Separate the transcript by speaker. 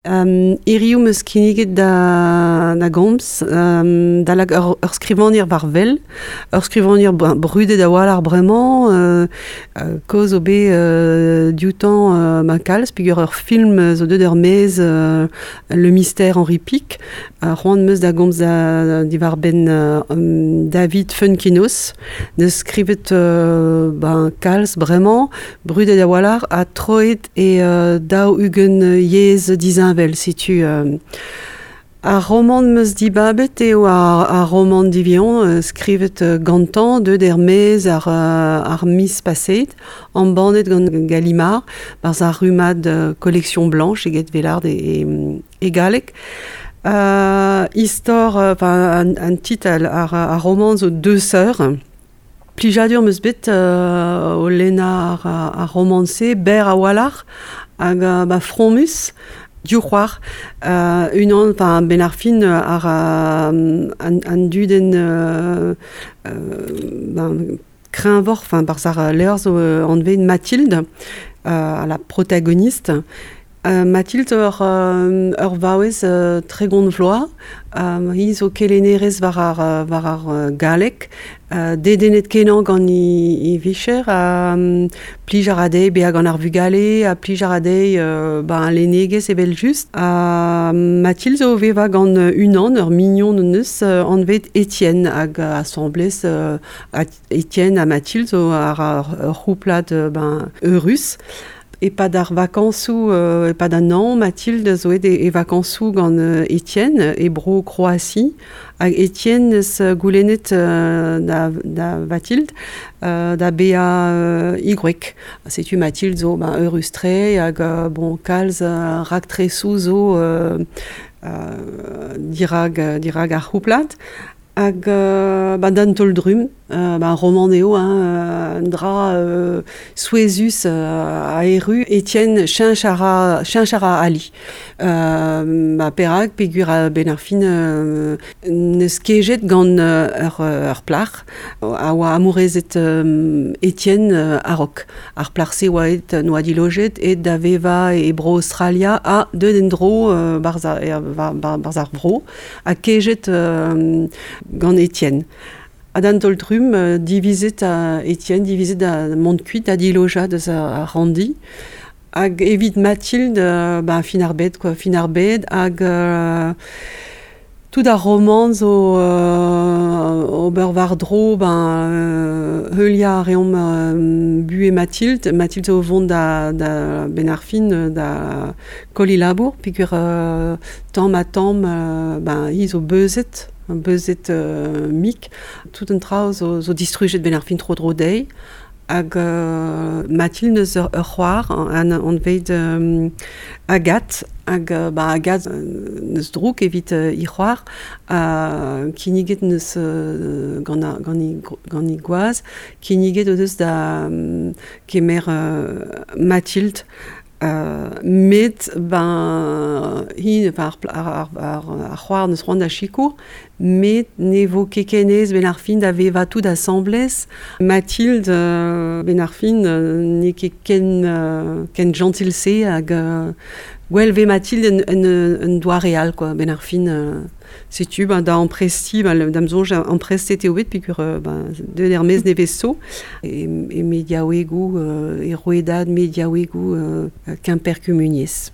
Speaker 1: Hiriv 'm eus kinniget da gomz da lak ur skrivagner war wel, ur skrivagner brudet a-walc'h bremañ, kaoz zo bet dioutañ ma kalz peogwir ur film zo deuet er-maez Le mystère Henri Pick. C'hoant 'm eus da gomz diwar-benn David Foenkinos, 'neus skrivet ben kalz bremañ, brudet a-walc'h ha troet e 40 yezh disheñvel. Setu ar romant 'm eus dibabet eo ar romant divion skrivet gantañ, deuet er-maez ar miz paseet, embannet gant Gallimard, barzh ar rummad Collection Blanche eget Velard e galleg. Istor, enfin an titl ar romant zo Deux sœurs. Plijadur 'm eus bet o lennañ ar romant-se, berr a-walc'h hag ba fromus, div c'hoar. Unan, enfin 'benn ar fin ar an dudenn ben kreñvoc'h, enfin barzh ar levr zo anvet Mathilde, la protagoniste. Mathilde ur vaouez 30 vloaz, hi zo kelennerez war ar galleg, dedennet-kenañ gant he vicher, ha plij a ra dezhi bezañ gant ar vugale, ha plij a ra dezhi ben lennegezh evel-just. Ha Mathilde zo o vevañ gant unan, ur mignon en deus, anvet Étienne, hag asambles Étienne ha Mathilde zo ar ur c'houplad ben eurus. E-pad ar vakañsoù, e-pad an hañv, Mathilde zo aet e vakañsoù gant Étienne e bro Kroazi. Hag Étienne 'neus goulennet da Vathilde da bezañ he gwreg. Setu Mathilde zo ben eurus-tre hag bon kalz raktresoù zo dirak ar c'houplad. Hag ba d'an taol-drumm, ba romant eo, hein, un dra souezhus a erru Étienne cheñch a ra, cheñch a ra ali. Ba perak peogwir a-benn ar fin n'eus kejet gant ur plac'h a oa amourezet Étienne a-raok. Ar plac'h-se oa aet n'oa dilojet aet da vevañ e Bro-Aostralia ha deuet en-dro barzh ar vro ha kejet gant Étienne. Ha d'an taol-trumm, divizet Étienne divizet da mont kuit da dilojañ deus ar ranndi. Hag evit Mathilde, ben fin ar bed quoi, fin ar bed hag tout ar romant zo ober war-dro ben heuliañ a reomp buhez Mathilde. Mathilde zo o vont da benn ar fin da koll he labour peogwir tamm-ha-tamm ben hi zo beuzet, beuzet mik. Tout an traoù zo distrujet benn ar fin tro-dro dezhi. Hag Mathilde neus ur c'hoar anvet Agathe. Hag ba Agathe neus drouk evit he c'hoar. Kinniget neus gant he gwaz. Kinniget o deus da kemer Mathilde. Met ben hi ar c'hoar neus c'hoant da sikour, met ne vo ket ken aes 'benn ar fin da vevañ tout asambles. Mathilde 'benn ar fin n'eo ket ken jentil-se hag gwell 'vez Mathilde en doare all quoi 'benn ar fin. Setu ben da amprestiñ, ben da'm soñj amprestet eo bet peogwir ben deuet er-maez nevez zo e mediaouegoù, e rouedad mediaouegoù Kemper Kumuniezh.